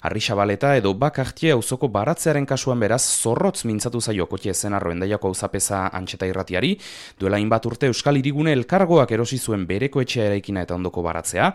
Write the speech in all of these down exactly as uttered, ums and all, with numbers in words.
Arrixabaleta edo Bakartie auzoko baratzearen kasuan beraz zorrotz mintzatu zaio Kotie Ezenarro Hendaiako auzapeza Antxeta Irratiari, duela hainbat urte Euskal Hirigune elkargoak erosi zuen bereko etxea eraikina eta ondoko baratzea,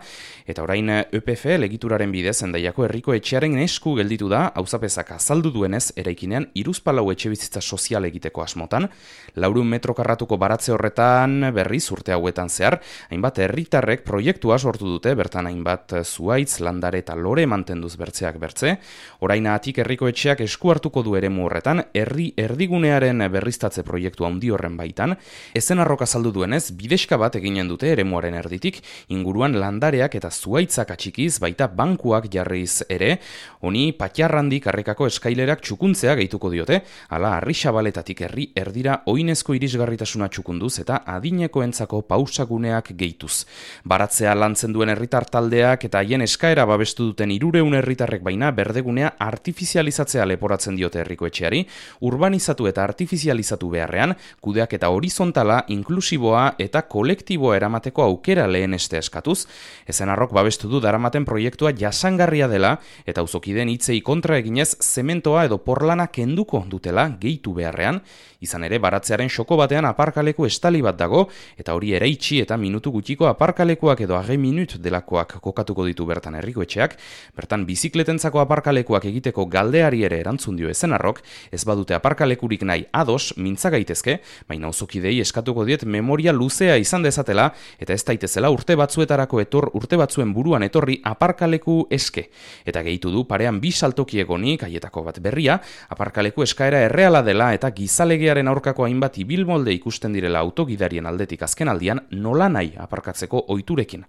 eta orain E P F egituraren bidez Hendaiako herriko etxearen esku gelditu da auzapezak azaldu duenez eraikinean hiruzpalau etxebizitza sozial egiteko asmotan, laurehun metro karratuko baratze horretan berriz urte hauetan zehar, hainbat herritarrek proiektua sortu dute, bertan hainbat zuhaitz, landare eta lore mantenduz bertzeak bertze, orainatik herriko etxeak esku hartuko du eremu horretan, herri erdigunearen berriztatze proiektu handi horren baitan, Ezenarrok azaldu duenez, bideska bat eginen dute eremuaren erditik, inguruan landareak eta zuhaitzak atxikiz, baita bankuak jarriz ere, honi Patxarrandik karrikako eskailerak txukuntzea gehituko diote, hala Arrixabaletatik herri erdira oinezko irisgarritasuna txukunduz eta adinekoentzako pausaguneak gehituz. Baratzea lantzen duen herritar taldeak eta haien eskaera babestu duten hirurehun herritarrek baina berdegunea artifizializatzea leporatzen diote herriko etxeari, urbanizatu eta artifizializatu beharrean, kudeak eta horizontala, inklusiboa eta kolektiboa eramateko aukera leheneste eskatuz, Ezenarrok babestu du daramaten proiektua jasangarria dela eta auzokideen hitzei kontra eginez zementoa edo porlana kenduko dutela gehitu beharrean, izan ere baratzearen xoko batean aparkaleku estali bat dago eta hori ere itxi eta minutu gutxiko aparkalekuak edo age minut delakoak kokatuko ditu bertan herriko etxeak, bertan bizikletentzako aparkalekuak egiteko galdeari ere erantzun dio Ezenarrok, ez badute aparkalekurik nahi ados mintza gaitezke, baina auzokidei eskatuko diet memoria luzea izan dezatela eta ez daitezela urte batzuetarako etor urte batzuen buruan etorri aparkaleku eske. Eta gehitu du parean bi saltoki egonik, haietako bat berria, aparkaleku eskaera erreala dela eta gizalegearen aurkako hainbat ibilmolde ikusten direla autogidarien aldetik azken aldian nola nahi aparkatzeko ohiturekin.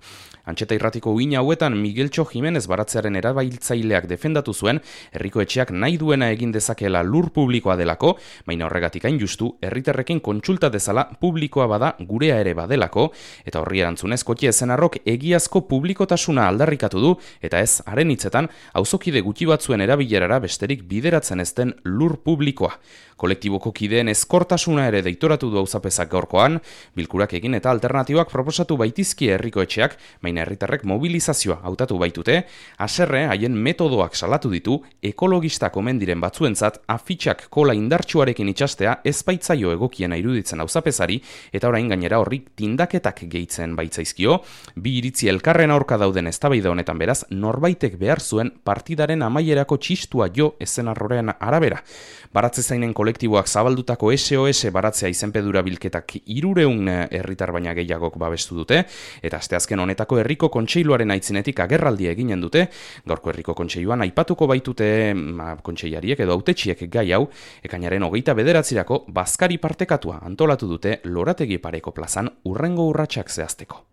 Antxeta Irratiko uina hauetan Migueltxo Jimenez baratzearen erabiltzaileak defendatu zuen, herriko etxeak nahi duena egin dezakeela lur publikoa delako, baina horregatik hain justu, herritarrekin kontsulta dezala publikoa bada gurea ere badelako, eta horri erantzunez Kotie Ezenarrok egiazko publikotasuna aldarrikatu du, eta ez, haren hitzetan, auzokide gutxi batzuen erabilerara besterik bideratzen ez den lur publikoa. Kolektiboko kideen ezkortasuna ere deitoratu du auzapezak gaurkoan, bilkurak egin eta alternatibak proposatu baitizkie herriko etxeak, baina herritarrek mobilizazioa hautatu baitute, haserre haien metodoak salatu ditu, ekologistak omen diren batzuentzat afitxak kola indartsuarekin itxastea ez baitzaio egokiena iruditzen auzapezari, eta orain gainera horrik tindaketak gehitzen baitzaizkio, bi iritzi elkarren aurka dauden eztabaida honetan beraz, norbaitek behar zuen partidaren amaierako txistua jo Ezenarroren arabera. Baratze zainen kolektiboak zabaldutako S O S baratzea izenpedura bilketak hirurehun herritar baina gehiagok babestu dute, eta asteazken honetako herriko kontseiluaren aitzinetik agerraldia eginen dute, gaurko herriko kontseiluan aipatuko baitute ma, kontseilariek edo hautetsiek gai hau, ekainaren hogeita bederatzirako bazkari partekatua antolatu dute Lorategi Pareko plazan hurrengo urratsak zehazteko.